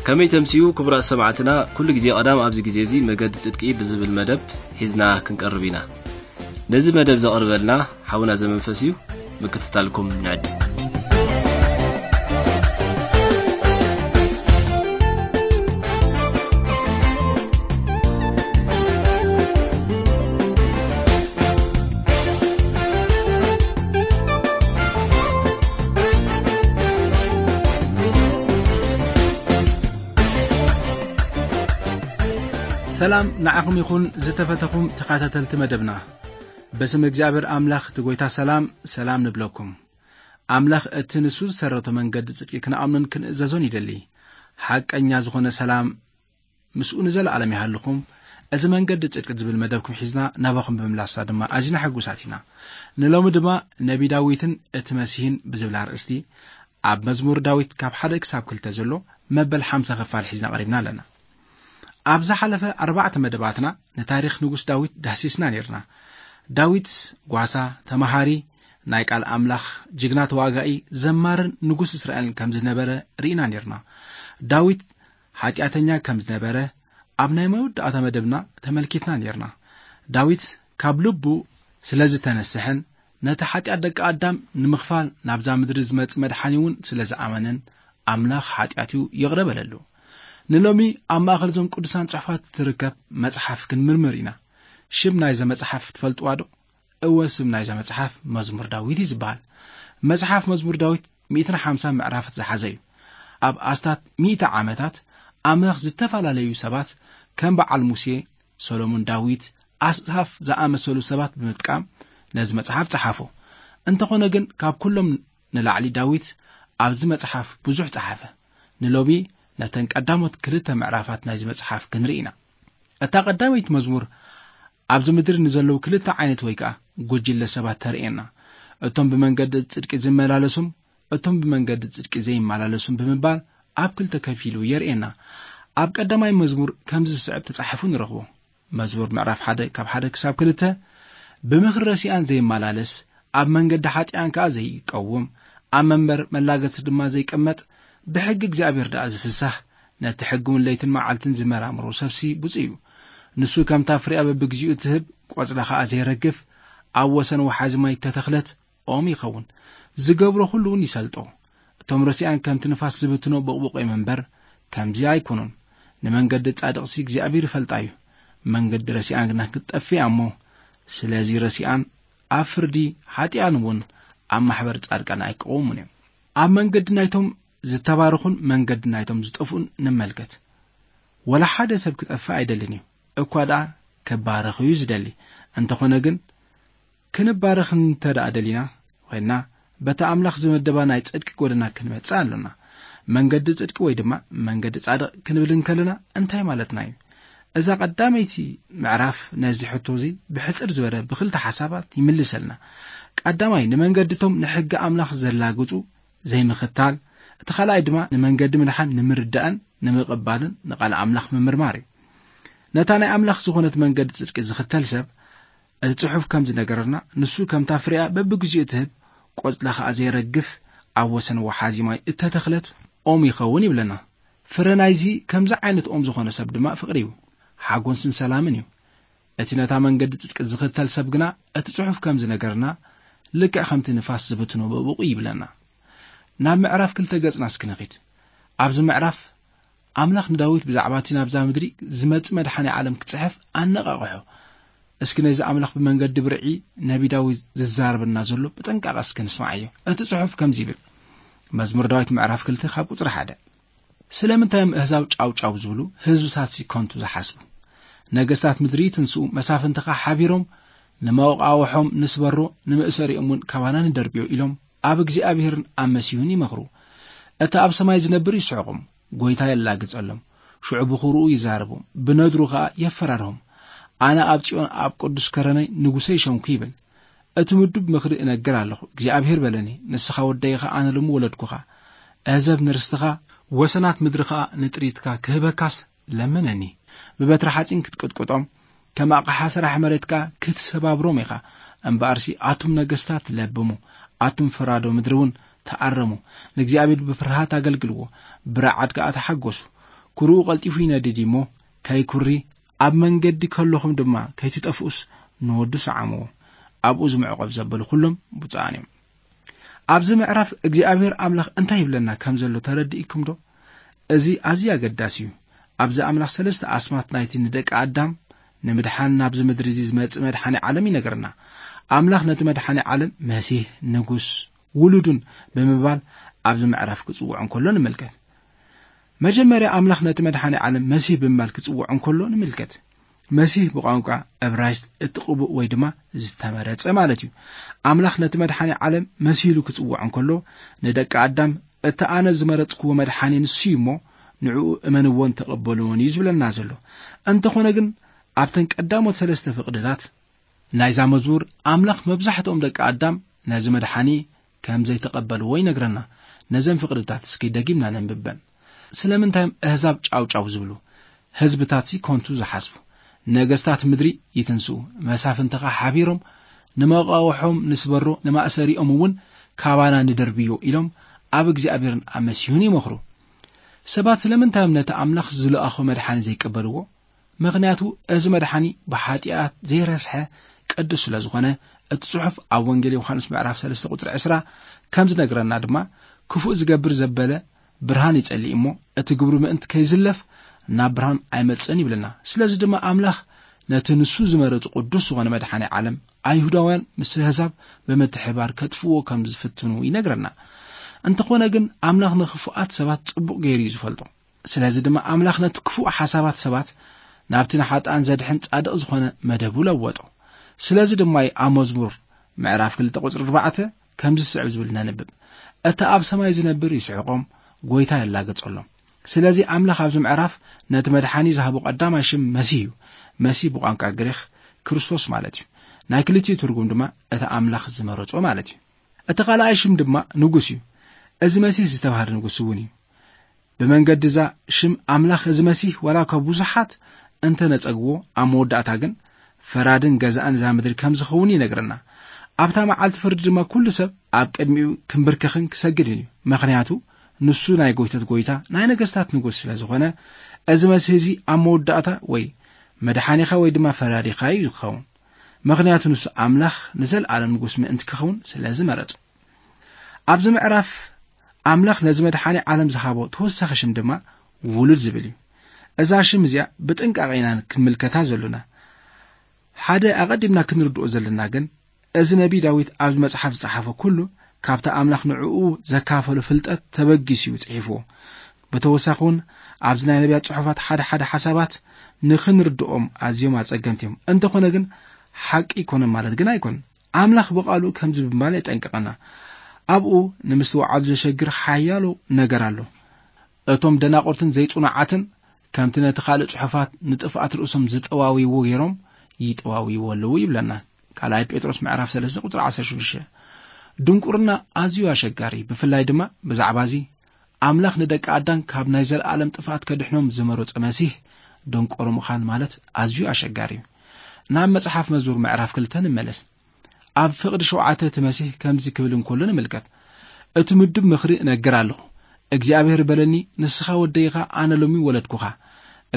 ከመይ ተምስዩ ክቡራት ሰማዕትና፣ ኩሉ ግዜ ቀዳም ኣብዚ ግዜ እዚ መገዲ ጽድቂ ብዝብል መደብ ሒዝና ክንቀርብ ኢና። ነዚ መደብ ዘቕርበልና ሓውና ዘመንፈስ እዩ። ምክትታልኩም ንዕድ። ሰላም ንዓኹም ይኹን ዝተፈተኹም ተኸታተልቲ መደብና። በስም እግዚኣብሔር ኣምላኽ እቲ ጐይታ ሰላም፣ ሰላም ንብለኩም። ኣምላኽ እቲ ንሱ ዝሰረቶ መንገዲ ጽድቂ ክንኣምኖን ክንእዘዞን ይደሊ። ሓቀኛ ዝኾነ ሰላም ምስኡ ንዘለኣለም ይሃልኹም። እዚ መንገዲ ጽድቂ ዝብል መደብኩም ሒዝና ናባኹም ብምምላስና ድማ ኣዚና ሕጉሳት ኢና። ንሎሚ ድማ ነቢ ዳዊትን እቲ መሲህን ብዝብል ኣርእስቲ ኣብ መዝሙር ዳዊት ካብ ሓደ ክሳብ ክልተ ዘሎ መበል ሓምሳ ክፋል ሒዝና ቀሪብና ኣለና። ኣብ ዝሓለፈ ኣርባዕተ መደባትና ንታሪኽ ንጉስ ዳዊት ዳህሲስና ኔርና። ዳዊት ጓሳ፣ ተማሃሪ፣ ናይ ቃል ኣምላኽ፣ ጅግና ተዋጋኢ፣ ዘማርን ንጉስ እስራኤልን ከም ዝነበረ ርኢና ኔርና። ዳዊት ሓጢኣተኛ ከም ዝነበረ ኣብ ናይ መወዳእታ መደብና ተመልኪትና ኔርና። ዳዊት ካብ ልቡ ስለ ዝተነስሐን ነቲ ሓጢኣት ደቂ ኣዳም ንምኽፋል ናብዛ ምድሪ ዝመጽእ መድሓኒ እውን ስለ ዝኣመነን ኣምላኽ ሓጢኣቱ ይቕረ በለሉ። ንሎሚ ኣብ ማእከል እዞም ቅዱሳን ጽሑፋት ትርከብ መጽሓፍ ክንምርምር ኢና። ሽም ናይዛ መጽሓፍ ትፈልጥዋ ዶ? እወ፣ ስም ናይዛ መጽሓፍ መዝሙር ዳዊት እዩ ዝበሃል። መጽሓፍ መዝሙር ዳዊት ሚእትን ሓምሳን ምዕራፋት ዝሓዘ እዩ። ኣብ ኣስታት ሚእቲ ዓመታት ኣምላኽ ዝተፈላለዩ ሰባት ከም በዓል ሙሴ፣ ሰሎሞን፣ ዳዊት፣ ኣስሓፍ ዝኣመሰሉ ሰባት ብምጥቃም ነዚ መጽሓፍ ጸሓፎ። እንተኾነ ግን ካብ ኩሎም ንላዕሊ ዳዊት ኣብዚ መጽሓፍ ብዙሕ ጸሓፈ። ንሎሚ ነተን ቀዳሞት ክልተ ምዕራፋት ናይዚ መጽሓፍ ክንርኢ ኢና። እታ ቀዳመይቲ መዝሙር ኣብዚ ምድሪ ንዘለዉ ክልተ ዓይነት ወይ ከኣ ጉጅለ ሰባት ተርእየና። እቶም ብመንገዲ ጽድቂ ዝመላለሱን እቶም ብመንገዲ ጽድቂ ዘይመላለሱን ብምባል ኣብ ክልተ ከፊሉ የርእየና። ኣብ ቀዳማይ መዝሙር ከምዚ ዝስዕብ ተጻሒፉ ንረኽቦ። መዝሙር ምዕራፍ ሓደ ካብ ሓደ ክሳብ ክልተ፣ ብምኽሪ ረሲኣን ዘይመላለስ፣ ኣብ መንገዲ ሓጢኣን ከኣ ዘይቀውም፣ ኣብ መንበር መላገቲ ድማ ዘይቀመጥ፣ ብሕጊ እግዚኣብሔር ደኣ ዝፍሳህ፣ ነቲ ሕጊ እውን ለይትን መዓልትን ዝመራምሮ ሰብሲ ብፁዕ እዩ። ንሱ ከምታ ፍሬኣ በብግዚኡ እትህብ፣ ቆጽላ ከኣ ዘይረግፍ፣ ኣብ ወሰን ወሓዚ ማይ እተተኽለት ኦም ይኸውን። ዝገብሮ ኩሉ እውን ይሰልጦ። እቶም ረሲኣን ከምቲ ንፋስ ዝብትኖ ቦቕቦቕ እዮም እምበር፣ ከምዚ ኣይኮኑን። ንመንገዲ ጻድቕሲ እግዚኣብሔር ይፈልጣ እዩ። መንገዲ ረሲኣን ግና ክትጠፍእ እያ እሞ፣ ስለዚ ረሲኣን ኣብ ፍርዲ ሓጢኣን እውን ኣብ ማሕበር ጻድቃን ኣይቀውሙን እዮም። ኣብ መንገዲ ናይቶም ዝተባረኹን መንገዲ ናይቶም ዝጠፍኡን ንመልከት። ወላ ሓደ ሰብ ክጠፍእ ኣይደልን እዩ፣ እኳ ደኣ ክባረኽ እዩ ዝደሊ። እንተኾነ ግን፣ ክንባረኽ እንተ ደኣ ደሊና ኮይንና፣ በቲ ኣምላኽ ዝመደባ ናይ ጽድቂ ጐደና ክንመጽእ ኣሎና። መንገዲ ጽድቂ ወይ ድማ መንገዲ ጻድቕ ክንብል እንከለና እንታይ ማለትና እዩ? እዛ ቀዳመይቲ ምዕራፍ ነዚ ሕቶ እዚ ብሕጽር ዝበለ ብኽልተ ሓሳባት ይምልሰልና። ቀዳማይ፣ ንመንገዲ እቶም ንሕጊ ኣምላኽ ዘላግጹ ዘይምኽታል፣ እቲ ካልኣይ ድማ ንመንገዲ ምድሓን ንምርዳእን ንምቕባልን ንቓል ኣምላኽ ምምርማር እዩ። ነታ ናይ ኣምላኽ ዝኾነት መንገዲ ጽድቂ ዝኽተል ሰብ፣ እቲ ጽሑፍ ከም ዝነገረና፣ ንሱ ከምታ ፍሬኣ በብግዚኡ እትህብ፣ ቆጽላ ኸኣ ዘይረግፍ፣ ኣብ ወሰን ወሓዚ ማይ እተተኽለት ኦም ይኸውን ይብለና። ፍረ ናይዚ ከምዚ ዓይነት ኦም ዝኾነ ሰብ ድማ ፍቕሪ እዩ፣ ሓጎስን ሰላምን እዩ። እቲ ነታ መንገዲ ጽድቂ ዝኽተል ሰብ ግና፣ እቲ ጽሑፍ ከም ዝነገረና፣ ልክዕ ከምቲ ንፋስ ዝብትኖ በብቑ ይብለና። ናብ ምዕራፍ ክልተ ገጽና እስኪ ንኺድ። ኣብዚ ምዕራፍ፣ ኣምላኽ ንዳዊት ብዛዕባ እቲ ናብዛ ምድሪ ዝመጽእ መድሓኒ ዓለም ክጽሕፍ ኣነቓቕሖ። እስኪ ነዚ ኣምላኽ ብመንገዲ ብርዒ ነቢ ዳዊት ዝዛረበና ዘሎ ብጥንቃቐ እስኪ ንስማዓዮ። እቲ ጽሑፍ ከምዚ ይብል፣ መዝሙር ዳዊት ምዕራፍ ክልተ ካብ ቁጽሪ ሓደ፣ ስለምንታይ እዮም ኣህዛብ ጫው ጫው ዝብሉ፣ ህዝብታትሲ ከንቱ ዝሓስቡ? ነገስታት ምድሪ ይትንስኡ፣ መሳፍንቲ ኸኣ ሓቢሮም፣ ንመቃውሖም ንስበሮ፣ ንመእሰሪኦም እውን ካባና ንደርብዮ ኢሎም ኣብ እግዚኣብሔርን ኣብ መሲሁን ይመኽሩ። እቲ ኣብ ሰማይ ዝነብር ይስሕቖም፣ ጐይታ የላግጸሎም። ሽዑ ብኹርኡ ይዛረቦም፣ ብነድሩ ኸኣ የፈራርሆም። ኣነ ኣብ ጽዮን ኣብ ቅዱስ ከረነይ ንጉሰይ ሸምኩ ይብል። እቲ ምዱብ ምኽሪ እነግር ኣለኹ። እግዚኣብሔር በለኒ፣ ንስኻ ወደይ ኢኻ፣ ኣነ ሎሚ ወለድኩኻ። ኣህዛብ ንርስትኻ፣ ወሰናት ምድሪ ኸኣ ንጥሪትካ ክህበካስ ለምነኒ። ብበትሪ ሓጺን ክትቅጥቅጦም፣ ከም ኣቕሓ ስራሕ መሬት ከኣ ክትሰባብሮም ኢኻ። እምበኣርሲ ኣቱም ነገስታት ለብሙ፣ ኣቱም ፈራዶ ምድሪ እውን ተኣረሙ። ንእግዚኣብሔር ብፍርሃት ኣገልግልዎ፣ ብረዓድ ከኣ ተሓጎሱ። ኩርኡ ቀልጢፉ ይነድድ እዩ እሞ፣ ከይኩሪ፣ ኣብ መንገዲ ከለኹም ድማ ከይትጠፍኡስ፣ ንወዱ ሰዓምዎ። ኣብኡ ዝምዕቆብ ዘበሉ ኩሎም ብፁዓን እዮም። ኣብዚ ምዕራፍ እግዚኣብሔር ኣምላኽ እንታይ ይብለና ከም ዘሎ ተረዲእኩም ዶ? እዚ ኣዝዩ ኣገዳሲ እዩ። ኣብዚ ኣምላኽ ሰለስተ ኣስማት ናይቲ ንደቂ ኣዳም ንምድሓን ናብዚ ምድሪ እዚ ዝመጽእ መድሓኒ ዓለም ይነግረና። ኣምላኽ ነቲ መድሓኒ ዓለም መሲህ፣ ንጉስ፣ ውሉዱን ብምባል ኣብዚ ምዕራፍ ክጽውዖ እንከሎ ንምልከት። መጀመርያ ኣምላኽ ነቲ መድሓኒ ዓለም መሲህ ብምባል ክጽውዖ እንከሎ ንምልከት። መሲህ ብቋንቋ እብራይስጥ እቲ ቅቡእ ወይ ድማ ዝተመረጸ ማለት እዩ። ኣምላኽ ነቲ መድሓኒ ዓለም መሲሉ ክጽውዖ እንከሎ፣ ንደቂ ኣዳም፣ "እቲ ኣነ ዝመረጽክዎ መድሓኒ ንሱ እዩ እሞ፣ ንዕኡ እመንዎን ተቐበልዎን" እዩ ዝብለና ዘሎ። እንተኾነ ግን፣ ኣብተን ቀዳሞት ሰለስተ ፍቕድታት ናይዛ መዝሙር፣ ኣምላኽ መብዛሕትኦም ደቂ ኣዳም ነዚ መድሓኒ ከም ዘይተቐበልዎ ይነግረና። ነዘን ፍቕድታት እስኪ ደጊምና ነንብበን። ስለምንታይ እዮም ኣህዛብ ጫው ጫው ዝብሉ? ህዝብታትሲ ኮንቱ ዝሓስቡ? ነገስታት ምድሪ ይትንስኡ፣ መሳፍንትኻ ሓቢሮም ንመቃውሖም ንስበሮ፣ ንማእሰሪኦም እውን ካባና ንደርብዮ ኢሎም ኣብ እግዚኣብሔርን ኣብ መሲሁን ይመኽሩ። ሰባት ስለምንታይ እዮም ነቲ ኣምላኽ ዝለኣኾ መድሓኒ ዘይቀበልዎ? ምኽንያቱ እዚ መድሓኒ ብሓጢኣት ዘይረስሐ ቅዱስ ስለ ዝኾነ፣ እቲ ጽሑፍ ኣብ ወንጌል ዮሃንስ ምዕራፍ ሰለስተ ቁጽሪ ዕስራ ከም ዝነግረና ድማ፣ "ክፉእ ዝገብር ዘበለ ብርሃን ይጸልእ እሞ፣ እቲ ግብሩ ምእንቲ ከይዝለፍ ናብ ብርሃን ኣይመጽእን" ይብለና። ስለዚ ድማ ኣምላኽ ነቲ ንሱ ዝመረጹ ቅዱስ ዝኾነ መድሓኒ ዓለም፣ ኣይሁዳውያን ምስ ኣህዛብ ብምትሕባር ከጥፍእዎ ከም ዝፍትኑ ይነግረና። እንተኾነ ግን ኣምላኽ ንኽፉኣት ሰባት ጽቡቕ ገይሩ እዩ ዝፈልጦ። ስለዚ ድማ ኣምላኽ ነቲ ክፉእ ሓሳባት ሰባት ናብቲ ንሓጥኣን ዘድሕን ጻድቕ ዝኾነ መደቡ ለወጦ። ስለዚ ድማ እዩ ኣብ መዝሙር ምዕራፍ ክልተ ቁጽሪ ኣርባዕተ ከምዚ ዝስዕብ ዝብል ነንብብ፣ "እቲ ኣብ ሰማይ ዝነብር ይስሕቖም፣ ጎይታ የላግጸሎም።" ስለዚ ኣምላኽ ኣብዚ ምዕራፍ ነቲ መድሓኒ ዝሃቦ ቀዳማይ ሽም መሲህ እዩ። መሲህ ብቋንቋ ግሪኽ ክርስቶስ ማለት እዩ። ናይ ክልቲኡ ትርጉም ድማ እቲ ኣምላኽ ዝመረጾ ማለት እዩ። እቲ ካልኣይ ሽም ድማ ንጉስ እዩ። እዚ መሲህ ዝተባህለ ንጉስ እውን እዩ። ብመንገዲ እዛ ሽም ኣምላኽ እዚ መሲህ ዋላ እኳ ብዙሓት እንተ ነጸግዎ፣ ኣብ መወዳእታ ግን ፈራድን ገዛእን እዛ ምድሪ ከም ዝኸውን ይነግረና። ኣብታ መዓልቲ ፍርዲ ድማ ኩሉ ሰብ ኣብ ቅድሚኡ ክንብርከኽን ክሰግድን እዩ። ምኽንያቱ ንሱ ናይ ጎይቶት ጎይታ፣ ናይ ነገስታት ንጉስ ስለ ዝኾነ፣ እዚ መሲህ እዚ ኣብ መወዳእታ ወይ መድሓኒኻ ወይ ድማ ፈራዲኻ እዩ ዝኸውን። ምኽንያቱ ንሱ ኣምላኽ ንዘለኣለም ንጉስ ምእንቲ ክኸውን ስለ ዝመረጹ። ኣብዚ ምዕራፍ ኣምላኽ ነዚ መድሓኒ ዓለም ዝሃቦ ተወሳኺ ሽም ድማ ውሉድ ዝብል እዩ። እዛ ሽም እዚኣ ብጥንቃቐ ኢና ክንምልከታ ዘሎና። ሓደ ኣቐዲምና ክንርድኦ ዘለና ግን፣ እዚ ነቢይ ዳዊት ኣብዚ መጽሓፍ ዝጸሓፎ ኩሉ ካብቲ ኣምላኽ ንዕኡ ዘካፈሎ ፍልጠት ተበጊሱ እዩ ጽሒፍዎ። ብተወሳኺ እውን ኣብዚ ናይ ነቢያት ጽሑፋት ሓደ ሓደ ሓሳባት ንኽንርድኦም ኣዝዮም ኣጸገምቲ እዮም። እንተኾነ ግን ሓቂ ኣይኮነን ማለት ግን ኣይኮነን። ኣምላኽ ብቓሉ ከምዚ ብምባል የጠንቅቐና። ኣብኡ ንምስትውዓሉ ዘሸግር ሓያሎ ነገር ኣሎ። እቶም ደናቑርትን ዘይጽኑዓትን ከምቲ ነቲ ካልእ ጽሑፋት ንጥፍኣት ርእሶም ዝጠዋውይዎ ገይሮም ይጠዋውይዎ ኣለዉ ይብለና። ካልኣይ ጴጥሮስ ምዕራፍ ሰለስተ ቁጽሪ ዓሰርተ ሽዱሽተ። ድንቁርና ኣዝዩ ኣሸጋሪ፣ ብፍላይ ድማ ብዛዕባ እዚ ኣምላኽ ንደቂ ኣዳም ካብ ናይ ዘለኣለም ጥፍኣት ከድሕኖም ዝመረጸ መሲህ ደንቆሮ ምዃን ማለት ኣዝዩ ኣሸጋሪ እዩ። ናብ መጽሓፍ መዝሙር ምዕራፍ ክልተ ንመለስ። ኣብ ፍቕዲ ሸውዓተ እቲ መሲህ ከምዚ ክብል እንከሎ ንምልከት፣ "እቲ ምዱብ ምኽሪ እነግር ኣለኹ። እግዚኣብሔር በለኒ፣ ንስኻ ወደይ ኢኻ፣ ኣነ ሎሚ ወለድኩኻ።"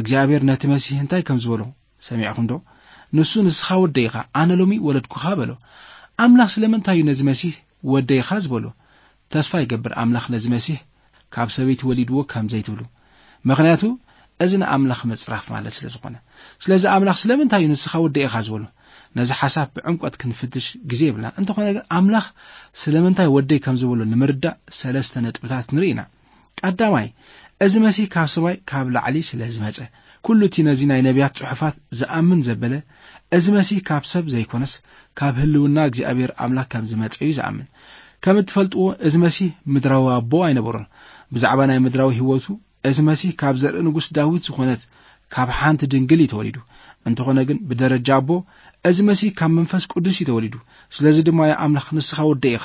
እግዚኣብሔር ነቲ መሲህ እንታይ ከም ዝበሎ ሰሚዕኹም ዶ? ንሱ፣ "ንስኻ ወደይ ኢኻ፣ ኣነ ሎሚ ወለድኩኻ" በሎ። ኣምላኽ ስለምንታይ እዩ ነዚ መሲህ ወደይ ኢኻ ዝበሎ? ተስፋ ይገብር ኣምላኽ ነዚ መሲህ ካብ ሰበይቲ ወሊድዎ ከም ዘይትብሉ። ምኽንያቱ እዚ ንኣምላኽ ምጽራፍ ማለት ስለ ዝኾነ። ስለዚ ኣምላኽ ስለምንታይ እዩ ንስኻ ወደይ ኢኻ ዝበሎ? ነዚ ሓሳብ ብዕምቆት ክንፍትሽ ግዜ የብልና። እንተኾነ ግን ኣምላኽ ስለምንታይ ወደይ ከም ዝበሎ ንምርዳእ ሰለስተ ነጥብታት ንርኢ ኢና። ቀዳማይ፣ እዚ መሲህ ካብ ሰማይ ካብ ላዕሊ ስለ ዝመጸ። ኩሉ እቲ ነዚ ናይ ነቢያት ጽሑፋት ዝኣምን ዘበለ፣ እዚ መሲህ ካብ ሰብ ዘይኮነስ ካብ ህልውና እግዚኣብሔር ኣምላኽ ከም ዝመጸ እዩ ዝኣምን። ከም እትፈልጥዎ፣ እዚ መሲህ ምድራዊ ኣቦ ኣይነበሮን። ብዛዕባ ናይ ምድራዊ ህይወቱ፣ እዚ መሲህ ካብ ዘርኢ ንጉስ ዳዊት ዝኾነት ካብ ሓንቲ ድንግል እዩ ተወሊዱ። እንተኾነ ግን ብደረጃ ኣቦ፣ እዚ መሲህ ካብ መንፈስ ቅዱስ እዩ ተወሊዱ። ስለዚ ድማ፣ "ያ ኣምላኽ፣ ንስኻ ወደይ ኢኻ፣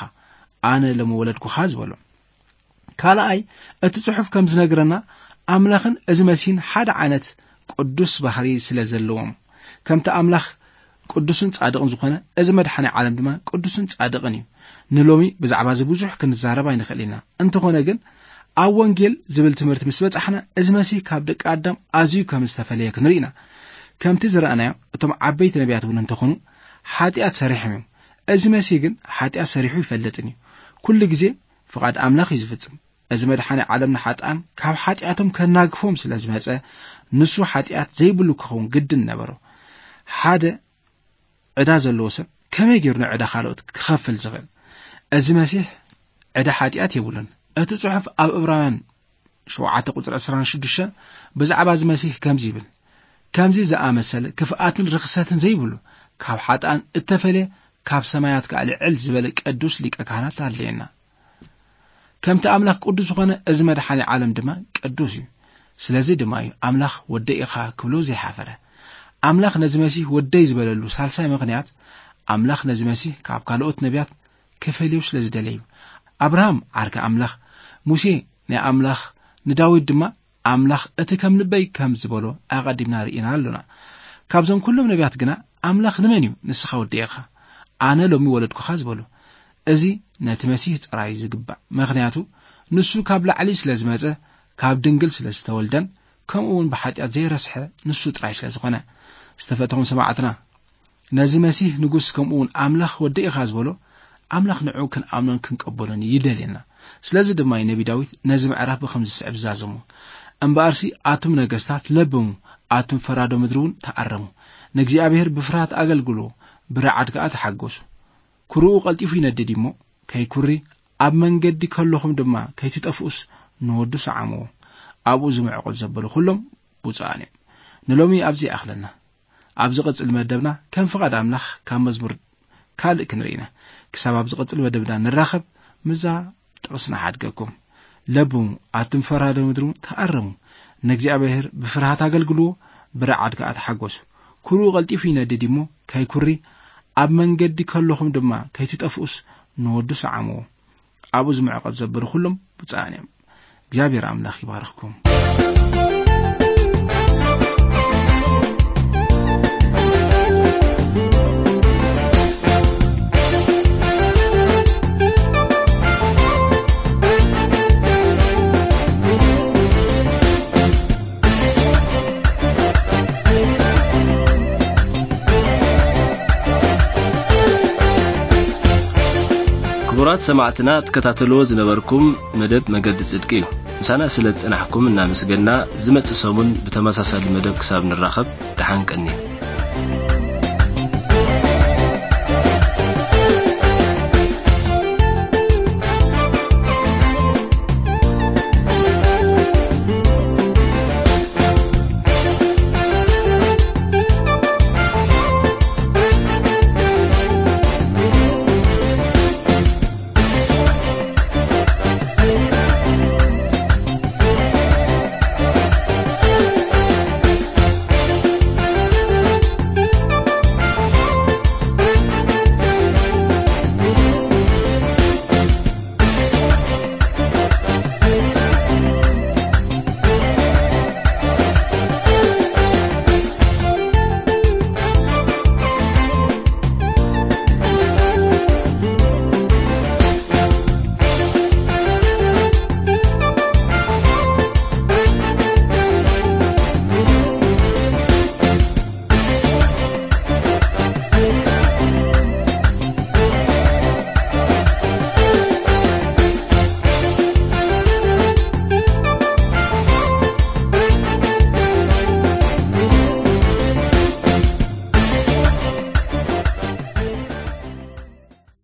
ኣነ ሎሚ ወለድኩኻ" ዝበሎ። ካልኣይ፣ እቲ ጽሑፍ ከም ዝነግረና፣ ኣምላኽን እዚ መሲህን ሓደ ዓይነት ቅዱስ ባህሪ ስለ ዘለዎም፣ ከምቲ ኣምላኽ ቅዱስን ጻድቕን ዝኾነ፣ እዚ መድሓኒ ዓለም ድማ ቅዱስን ጻድቕን እዩ። ንሎሚ ብዛዕባ እዚ ብዙሕ ክንዛረብ ኣይንኽእል ኢና። እንተኾነ ግን፣ ኣብ ወንጌል ዝብል ትምህርቲ ምስ በጻሕና፣ እዚ መሲህ ካብ ደቂ ኣዳም ኣዝዩ ከም ዝተፈለየ ክንርኢ ኢና። ከምቲ ዝረኣናዮ፣ እቶም ዓበይቲ ነቢያት እውን እንተኾኑ፣ ሓጢኣት ሰሪሖም እዮም። እዚ መሲህ ግን ሓጢኣት ሰሪሑ ይፈልጥን እዩ። ኩሉ ግዜ ፍቓድ ኣምላኽ እዩ ዝፍጽም። እዚ መድሓኒ ዓለም ንሓጥኣን ካብ ሓጢኣቶም ከናግፎም ስለ ዝመጸ፣ ንሱ ሓጢኣት ዘይብሉ ክኸውን ግድን ነበሮ። ሓደ ዕዳ ዘለዎ ሰብ ከመይ ገይሩ ንዕዳ ካልኦት ክኸፍል ዝኽእል? እዚ መሲሕ ዕዳ ሓጢኣት የብሉን። እቲ ጽሑፍ ኣብ ዕብራውያን ሸውዓተ ቁጽሪ ዕስራን ሽዱሽተን ብዛዕባ እዚ መሲሕ ከምዚ ይብል፣ "ከምዚ ዝኣመሰለ ክፍኣትን ርኽሰትን ዘይብሉ፣ ካብ ሓጥኣን እተፈልየ፣ ካብ ሰማያት ከኣ ልዕል ዝበለ ቅዱስ ሊቀ ካህናት ኣለየና." ከምቲ ኣምላኽ ቅዱስ ዝኾነ፣ እዚ መድሓኒ ዓለም ድማ ቅዱስ እዩ። ስለዚ ድማ እዩ ኣምላኽ ወደይ ኢኻ ክብሎ ዘይሓፈረ። ኣምላኽ ነዚ መሲህ ወደይ ዝበለሉ ሳልሳይ ምኽንያት፣ ኣምላኽ ነዚ መሲህ ካብ ካልኦት ነቢያት ክፈልዮ ስለ ዝደለዩ። ኣብርሃም ዓርኪ ኣምላኽ፣ ሙሴ ናይ ኣምላኽ፣ ንዳዊት ድማ ኣምላኽ እቲ ከም ልበይ ከም ዝበሎ ኣቐዲምና ርኢና ኣሎና። ካብዞም ኩሎም ነቢያት ግና ኣምላኽ ንመን እዩ ንስኻ ወደይ ኢኻ፣ ኣነ ሎሚ ወለድኩኻ ዝበሎ? እዚ ነቲ መሲህ ጥራይ ዝግባእ፣ ምኽንያቱ ንሱ ካብ ላዕሊ ስለ ዝመጸ፣ ካብ ድንግል ስለ ዝተወልደን ከምኡ እውን ብሓጢኣት ዘይረስሐ ንሱ ጥራይ ስለ ዝኾነ። ዝተፈተኹም ሰማዕትና፣ ነዚ መሲህ ንጉስ ከምኡ እውን ኣምላኽ ወዲ ኢኻ ዝበሎ፣ ኣምላኽ ንዕኡ ክንኣምኖን ክንቀበሎን ይደልየና። ስለዚ ድማ እዩ ነቢ ዳዊት ነዚ ምዕራፍ ብኸምዚ ዝስዕብ ዝዛዘሞ፣ "እምበኣርሲ ኣቱም ነገስታት ለብሙ፣ ኣቱም ፈራዶ ምድሪ እውን ተኣረሙ፣ ንእግዚኣብሔር ብፍርሃት ኣገልግልዎ፣ ብረዓድ ከኣ ተሓጎሱ። ኩርኡ ቀልጢፉ ይነድድ እሞ ከይኩሪ፣ ኣብ መንገዲ ከለኹም ድማ ከይትጠፍኡስ ንወዱ ሰዓምዎ። ኣብኡ ዝምዕቆብ ዘበሉ ኩሎም ብፁዓን እዮም።" ንሎሚ ኣብዚ ይኣኽለና። ኣብ ዝቕጽል መደብና ከም ፍቓድ ኣምላኽ ካብ መዝሙር ካልእ ክንርኢ ኢና። ክሳብ ኣብ ዝቕጽል መደብና ንራኸብ፣ ምዛ ጥቕስና ሓድገኩም። ለብሙ፣ ኣቱም ፈራዶ ምድሩ ተኣረሙ። ንእግዚኣብሔር ብፍርሃት ኣገልግልዎ፣ ብረዓድ ከኣ ተሓጎሱ። ኩርኡ ቀልጢፉ ይነድድ እሞ ከይኩሪ፣ ኣብ መንገዲ ከለኹም ድማ ከይትጠፍኡስ ንወዱ ሰዓምዎ። ኣብኡ ዝምዕቐብ ዘበሉ ኩሎም ብፁዓን እዮም። እግዚኣብሔር ኣምላኽ ይባርኽኩም። ክቡራት ሰማዕትና፣ ትከታተልዎ ዝነበርኩም መደብ መገዲ ጽድቂ እዩ። ምሳና ስለ ዝጸናሕኩም እናመስገና፣ ዝመጽእ ሰሙን ብተመሳሳሊ መደብ ክሳብ ንራኸብ፣ ደሓን ቀንዩ።